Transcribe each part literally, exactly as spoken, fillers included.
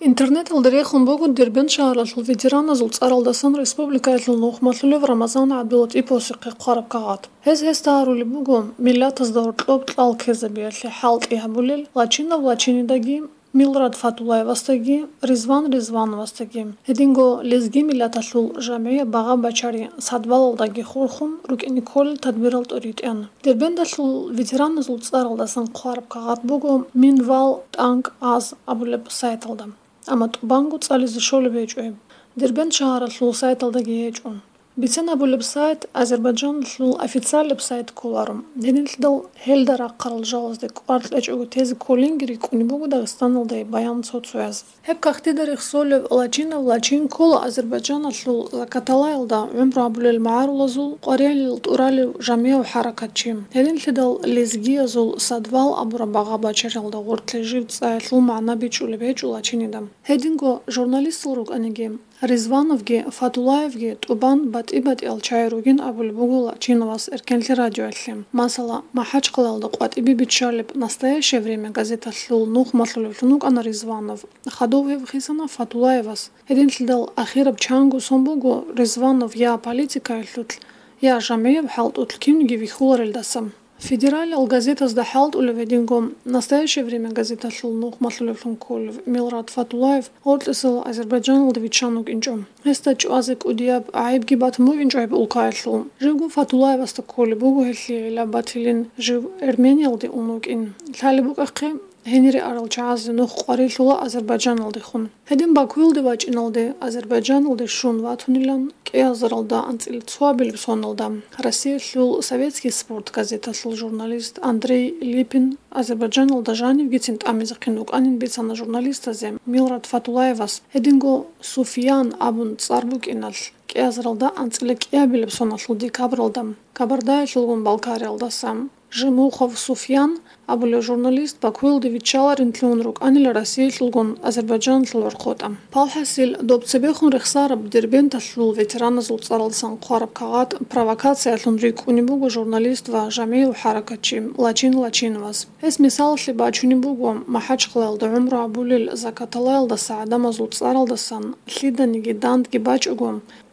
Интернеталда рехун буго Дербент шагьаралъул ветераназул цӀаралдасан республикаялъул нухмалъулев Рамазан ГӀабдулатӀиповасухъе хъвараб кагъат. Гьез гьесда гьарулеб буго миллатазда гьоркьоб кьал ккезабиялъе хӀалтӀи гьабулел Лачинов Лачинидаги, Милрат Фатулаевасдаги, Ризван Ризвановасдаги, гьединго лезги миллаталъул жамгӀияб багъа-бачари Садвалалдаги хурхун рукӀине кколел тадбирал тӀуритӀан. Дербенталъул ветераназул цӀаралдасан хъвараб кагъат буго Минвал тӀанкӀ аз абулеб сайталда. Амма тӀубанго цӀализе щолеб гьечӀо гьеб. Дербент шагьаралъул сайталдаги гьечӀо. Бицен абулеб сайт Азербайджаналъул официалияб сайт кколаро. Гьединлъидал гьелда рахъарал жалазде кӀвар кьечӀого тезе кколинги рикӀкӀунеб буго Дагъистаналда гьеб баян цо-цояз. Гьеб кагътида рехсолев Лачинов Лачин ккола Азербайджаналъул Закаталаялда гӀумру гьабулел магӀарулазул къварилъи тӀуралев жамгӀияв хӀаракатчи. Гьединлъидал лезгиязул Садвал абураб багъа-бачариялда гъоркье жив цӀаялъул магӀна бичӀчӀулеб гьечӀо Лачинида. Гьединго журналистал рукӀаниги, Ризвановги Фатулаевги тӀубан батӀи-батӀиял чагӀи ругин абулеб буго Лачиновас Эркенлъи радиоялъе. Масала, МахӀачхъалаялда къватӀибе биччалеб «Настоящее время» газеталъул нухмалъулевлъун вукӀана Ризванов. Хадув гьев хисана Фатулаевас. Гьединлъидал ахираб чанго сон буго Ризванов я политикаялъулъ, я жамгӀияб хӀалтӀулъ кинниги вихьуларелдаса. Федералияб газетазда хӀалтӀулев гьединго «Настоящее время» газеталъул нухмалъулевлъун кколев Милрат Фатулаев гъоркьисел Азербайджаналда виччан вукӀинчӀо. Гьесда чӀвазе кӀудияб гӀайибги батун букӀинчӀо гьеб улкаялъул. Живго Фатулаевасда кколеб буго гьелъие гӀилла батилин жив Эрмениялде ун вукӀин. Лъалеб букӀахъе, гьенире арал чагӀазе нух къварилъула Азербайджаналдехун. Гьедин Бакуялде вачӀиналде Азербайджаналде щун ватунилан, кӀиазаралда анцӀила цоабилеб соналда Россиялъул «Советский спорт» газеталъул журналист Андрей Липин Азербайджаналда жанивгицин тӀамизехъин вукӀанин бицана журналистазе Милрат Фатулаевас. Гьединго Суфьян абун цӀар букӀиналъ, кӀиазаралда анцӀила кӀиабилеб соналъул декабралда Кабардаялъулгун Балкариялдаса Жемухов Суфьян абулев журналист Бакуялде виччаларинлъун рукӀанила Россиялъулгун Азербайджаналъул гӀорхъотӀа. Палхасил доб цебехун рехсараб Дербенталъул ветераназул цӀаралдасан хъвараб кагъат провокациялъун рикӀкӀунеб буго журналист ва жамгӀияв хӀаракатчи Лачин Лачиновас. Гьес мисалалъе бачунеб буго МахӀачхъалаялда гӀумру гьабулел Закаталаялдаса гӀадамазул цӀаралдасан лъиданиги дандги бачӀого,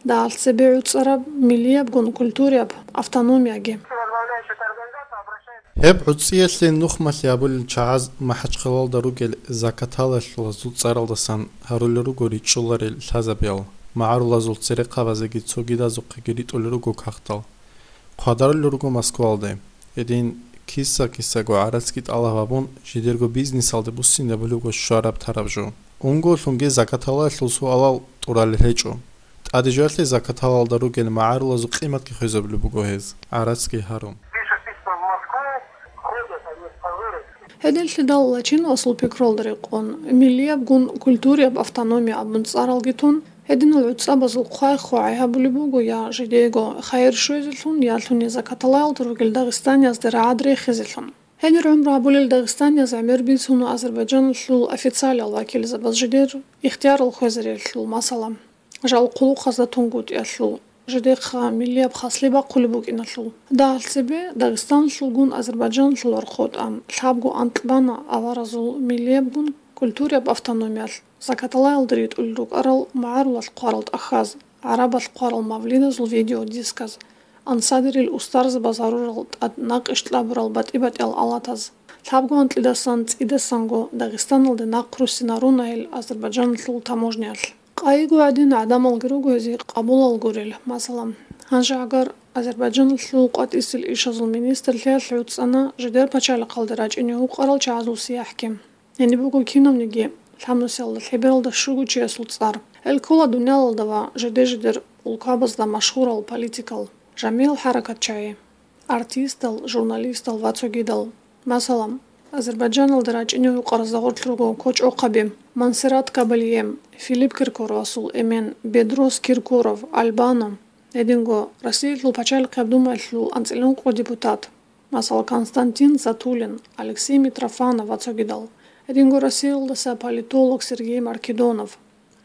дагьалъ цебе гӀуцӀараб миллиябгун культурияб автономияги. Гьеб гӀуцӀиялъе нухмалъи гьабулел чагӀаз МахӀачхъалалда ругел Закаталаялъулазул цӀаралдасан гьарулел руго ричӀчӀуларел лъазабиял, магӀарулазул церехъабазеги цогидазухъеги ритӀулел руго кагътал. Хъвадарулел руго Москвалде. Гьедин киса-кисаго гӀарацги тӀалаб гьабун, жидерго бизнесалде буссинабулебго щвараб-тараб жо. Унголъунги Закаталаялъул суалал тӀуралел гьечӀо. ТӀаде жоялъе Закаталаялда ругел магӀарулазул къиматги хвезабулеб буго гьез, гӀарацги гьарун. Гьединлъидал Лачиновасул пикруялда рекъон, миллиябгун культурияб автономия абун цӀаралги тун, гьединал гӀуцӀабазул хъвай-хъвагӀи гьабулеб буго я жидеего хайир щвезелъун, я лъуни Закаталаялда ругел дагъистаниязде рагӀад рехизелъун. Гьенир гӀумру гьабулел дагъистанияз гӀемер бицуна Азербайджаналъул официалиял вакилзабаз жидер ихтиярал хвезариялъул, масала, жал хъулухъазда тунгутӀиялъул, жидехъа миллияб хаслъи бахъулеб букӀиналъул. Дагьалъ цебе Дагъистаналъулгун Азербайджаналъул гӀорхъотӀа лъабго анкь бана аваразул миллиябгун культурияб автономиялъ, Закаталаялда ритӀулел рукӀарал магӀарулалъ хъварал тӀахьаз, гӀарабалъ хъварал мавлидазул видеодисказ, ансадерил устарзабаз гьарурал тӀад накъиш кьабурал батӀи-батӀиял алатаз. Лъабго анкьидасан цӀидасанго Дагъистаналде нахъруссинарунайил Азербайджаналъул таможниялъ. Къайиго гӀадин гӀадамалги руго гьезие къабулал гурел. Масала, гьанже гӀагар Азербайджаналъул къватӀисел ишазул министрлъиялъ гӀуцӀана жидер пачалихъалде рачӀине гьукъарал чагӀазул сияхӀги. Гьениб буго кинавниги лъабнусиялда лъебералда щуго чиясул цӀар. Гьел ккола дуниялалда ва жиде-жидер улкабазда машгьурал политикал, жамиял хӀаракатчагӀи, артистал, журналистал ва цогидал. Масала, Азербайджаналда рачӀине гьукъаразда гъорлъ руго кочӀохъаби Монсеррат Кабалье, Филипп Киркоровасул эмен Бедрос Киркоров, Аль-Бано, гьединго Россиялъул пачалихъияб думаялъул анцӀила ункъо депутат, масала, Константин Затулин, Алексей Митрофанов ва цогидал, гьединго Россиялдаса политолог Сергей Маркедонов,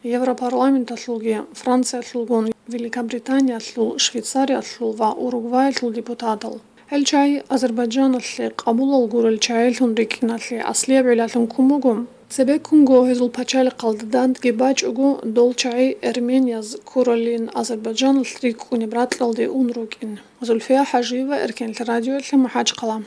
Европарламенталъулги, Франциялъулгун, Великобританиялъул, Швейцариялъул ва Уругваялъул депутатал. Гьел чагӀи Азербайджаналъе къабулал гурел чагӀилъун рикӀкӀиналъе аслияб гӀиллалъун ккун буго, Цебеккунго гьезул пачалихъалда дандги бачӀого, дол чагӀи эрменияз ккуралин Азербайджаналъ рикӀкӀунеб ракьалде ун рукӀин. Зульфия Хажиева, Эркенлъ радиоялъе, МахӀачхъала.